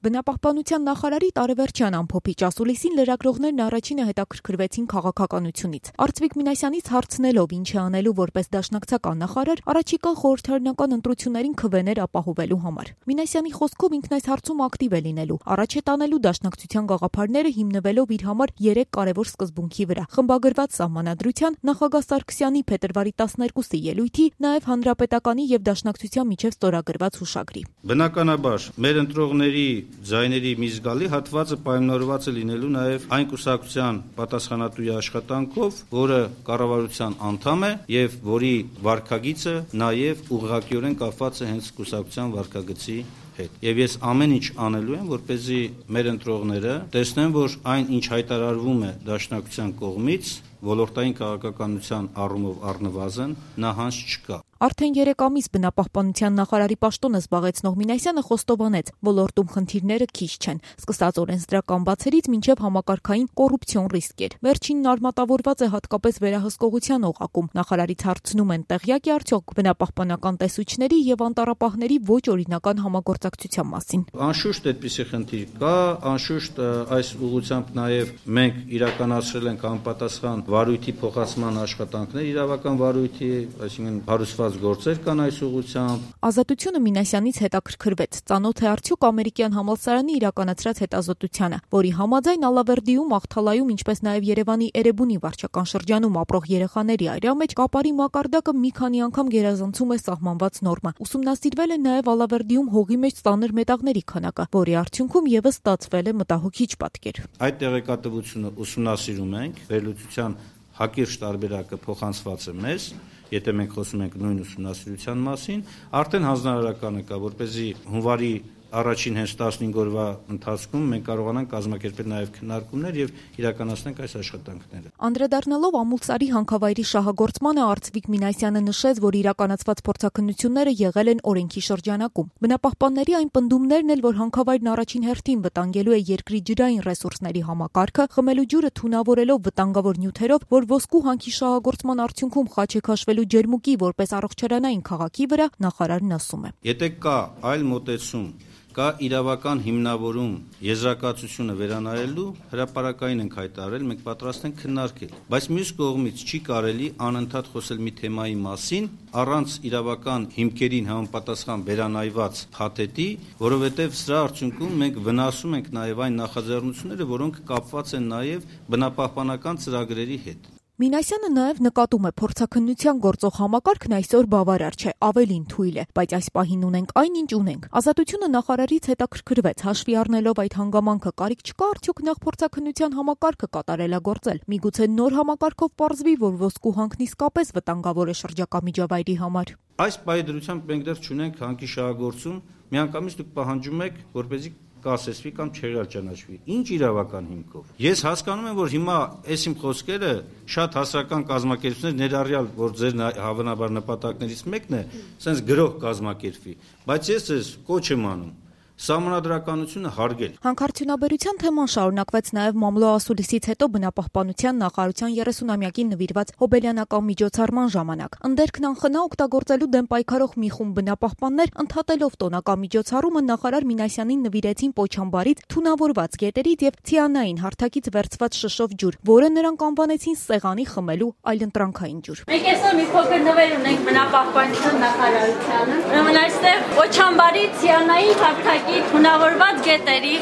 Բնապահպանության նախարարի տարեվերջյան ամփոփիչ ասուլիսին լրագրողներն առաջինը հետաքրքրվեցին քաղաքականությունից։ Արծվիկ Մինասյանից հարցնելով ինչ է անելու որպես դաշնակցական նախարար, առաջիկա խորհրդարանական ընտրություններին քվեներ ապահովելու համար։ Մինասյանի խոսքով ինքն այս հարցում ակտիվ է լինելու, առաջ է տանելու դաշնակցության գաղափարները հիմնվելով իր համար 3 կարևոր սկզբունքի վրա՝ խմբագրված սահմանադրության, նախագահ Սարգսյանի փետրվարի 12-ի ելույթի, նաև հանրապետականի եւ դաշնակցության միջև ստորագրված հուշագրի։ Բնականաբար մեր ընտրողների ձայների մի զգալի հատվածը պայմանավորված է լինելու նաև այն կուսակցության պատասխանատուի աշխատանքով, որը կառավարության անդամ է եւ որի վարքագիծը նաև ուղղակիորեն կապված է հենց կուսակցության վարքագծի հետ։ Եվ ես ամեն ինչ անելու եմ, որպեսզի մեր ընտրողները տեսնեն, որ այն, ինչ հայտարարվում է դաշնակցության կողմից, ոլորտային քաղաքականության առումով առնվազն նահանջ չկա։ Արդեն 3 ամիս բնապահպանության նախարարի պաշտոնը զբաղեցնող Մինասյանը խոստովանեց, ոլորտում խնդիրները քիչ չեն, սկսած օրենսդրական բացերից մինչև համակարգային կոռուպցիոն ռիսկեր։ Վերջինն արմատավորված է հատկապես վերահսկողության օղակում։ Նախարարից հարցնում են, տեղյակ է արդյոք բնապահպանական տեսուչների եւ անտառապահների ոչ օրինական համագործակցության մասին։ Անշուշտ այդպիսի խնդիր կա, անշուշտ այս ուղղությամբ նաև մենք իրականացրել ենք համապատասխան վարույթի փոխանցման աշխատանքներ, իրավական վարույթի, այսինքն հարուցված գործեր կան այս ուղղությամբ։ Ազատությունը Մինասյանից հետաքրքրվեց, ծանոթ է արդյոք ամերիկյան համալսարանի իրականացրած հետազոտությանը, որի համաձայն Ալավերդիում, Աղթալայում, ինչպես նաև Երևանի Էրեբունի վարչական շրջանում ապրող երեխաների այրա մեջ կապարի մակարդակը մի քանի անգամ գերազանցում է սահմանված նորմը։ Ուսումնասիրվել է նաև Ալավերդիում հողի մեջ ծանր մետաղների քանակը, որի արդյունքում եւս ստացվել է մտահոգիչ պատկեր։ Այդ տեղեկատվությունը ուսումնասիրում ենք, վերլուծության հակիրճ տարբերակը փոխանցված է մեզ, եթե մենք խոսում ենք նույն ուսումնասիրության մասին, արդեն հանձնարարականը կա, որպեսզի հունվարի առաջին հենց 15 օրվա ընթացքում մենք կարողանանք կազմակերպել նաև քննարկումներ եւ իրականացնենք այս աշխատանքները։ Անդրադառնալով Ամուլսարի հանքավայրի շահագործմանը Արծվիկ Մինասյանը նշեց, որ իրականացված փորձաքննությունները եղել են օրենքի շրջանակում։ Բնապահպանների այն պնդումներն էլ, որ հանքավայրն առաջին հերթին վտանգելու է երկրի ջրային ռեսուրսների համակարգը, խմելու ջուրը թունավորելով վտանգավոր նյութերով, որ ոսկու հանքի շահագործման արդյունքում խաչ է քաշվելու ջերմուկի որպես առողջարանային քաղաքի վրա, նախարարն ասում է. Եթե կա այլ մոտեցում, կա իրավական հիմնավորում եզրակացությունը վերանայելու, հրապարակային ենք հայտարարել, մենք պատրաստ ենք քննարկել, բայց մյուս կողմից չի կարելի անընդհատ խոսել մի թեմայի մասին առանց իրավական հիմքերին համապատասխան վերանայված փաթեթի, որովհետև սրա արդյունքում մենք վնասում ենք նաև այն նախաձեռնությունները, որոնք կապված են նաև բնապահպանական ծրագրերի հետ։ Մինասյանը նաև նկատում է, փորձաքննության գործող համակարգն այսօր բավարար չէ, ավելին թույլ է, բայց այս պահին ունենք այն, ինչ ունենք։ Ազատությունը նախարարից հետաքրքրվեց, հաշվի առնելով այդ հանգամանքը, կարիք չկա արդյոք նախ փորձաքննության համակարգը կատարելագործել։ Միգուցե նոր համակարգով պարզվի, որ ոսկու հանքն իսկապես վտանգավոր է շրջակա միջավայրի համար։ Այս պահի դրությամբ մենք դեռ չունենք հանքի շահագործում, միանգամից դուք պահանջում եք, որպեսզի կասեցվի կամ չեղարկանչվի։ Ինչ իրավական հիմքով։ Ես հասկանում եմ, որ հիմա այս իմ խոսքերը շատ հասարակական կազմակերպություններ ներառյալ, որ ձեր հավանաբար նպատակներից մեկն է, sense գրող կազմակերպվի, բայց ես ձեզ կոչ եմ անում սահմանադրականությունը հարգել։ Հանքարդյունաբերության թեման շարունակվեց նաև մամլո ասուլիսից հետո բնապահպանության նախարարության 30-ամյակին նվիրված հոբելյանական միջոցառման ժամանակ։ Ընդերքն անխնա օգտագործելու դեմ պայքարող մի խումբ բնապահպաններ ընդհատելով տոնական միջոցառումը նախարար Մինասյանին նվիրեցին Պոչամբարից թունավորված գետերից եւ ցիանային հարթակից վերցված շշով ջուր, որը նրանք անվանեցին սեղանի խմելու այլընտրանքային ջուր։ Մենք այսօր մի փոքր նվեր ունենք բնապահպանության նախարարությանը։ Ուրեմն այստեղ Պոչամբարի ցիանային հարթակ թունավորված գետերի,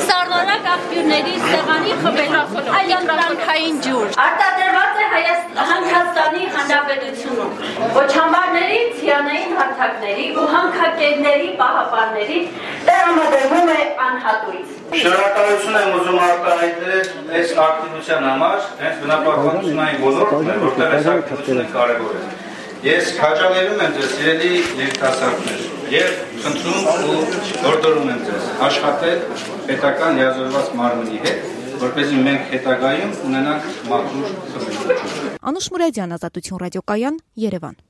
սառնորակ աղբյուրների սեղանի խմելու այլընտրանքային ջուր։ Արտադրված է Հայաստանի Հանրապետությունում։ Պոչամբարների, ցիանային հարթակների ու հանքակերների պահապանների տրամադրվում է անհատույց։ Շնորհակալություն եմ ուզում արտահայտել այս ակտիվության համար, հենց բնապահպանությունային ոլորտն է, որտեղ այս ակտիվությունը կարևոր է։ Ես քաջալերում եմ ձեզ, սիրելի երիտասարդներ, եւ խնդրում ու հորդորում եմ ձեզ աշխատել պետական լիազորված մարմնի հետ, որպեսզի մենք հետագայում ունենանք մաքուր խմելու ջուր։ Անուշ Մուրադյան, Ազատություն ռադիոկայան, Երևան։